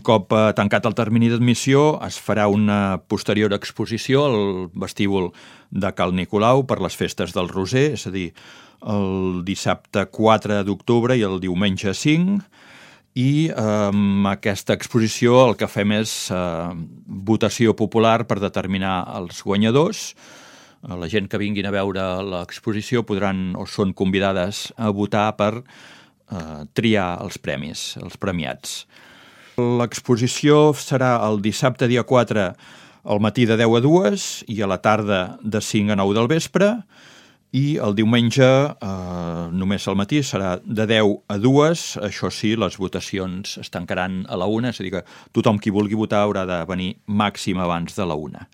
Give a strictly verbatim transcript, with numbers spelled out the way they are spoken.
cop tancat el termini d'admissió, es farà una posterior exposició al vestíbul de Cal Nicolau per les festes del Roser, és a dir, el dissabte quatre d'octubre i el diumenge cinc, i amb aquesta exposició el que fem és eh, votació popular per determinar els guanyadors. La gent que vinguin a veure l'exposició podran o són convidades a votar per eh, triar els premis, els premiats. L'exposició serà el dissabte dia quatre al matí de deu a dues i a la tarda de cinc a nou del vespre, i el diumenge, eh, només al matí, serà de deu a dues, això sí, les votacions es tancaran a la una, és a dir que tothom qui vulgui votar haurà de venir màxim abans de la una.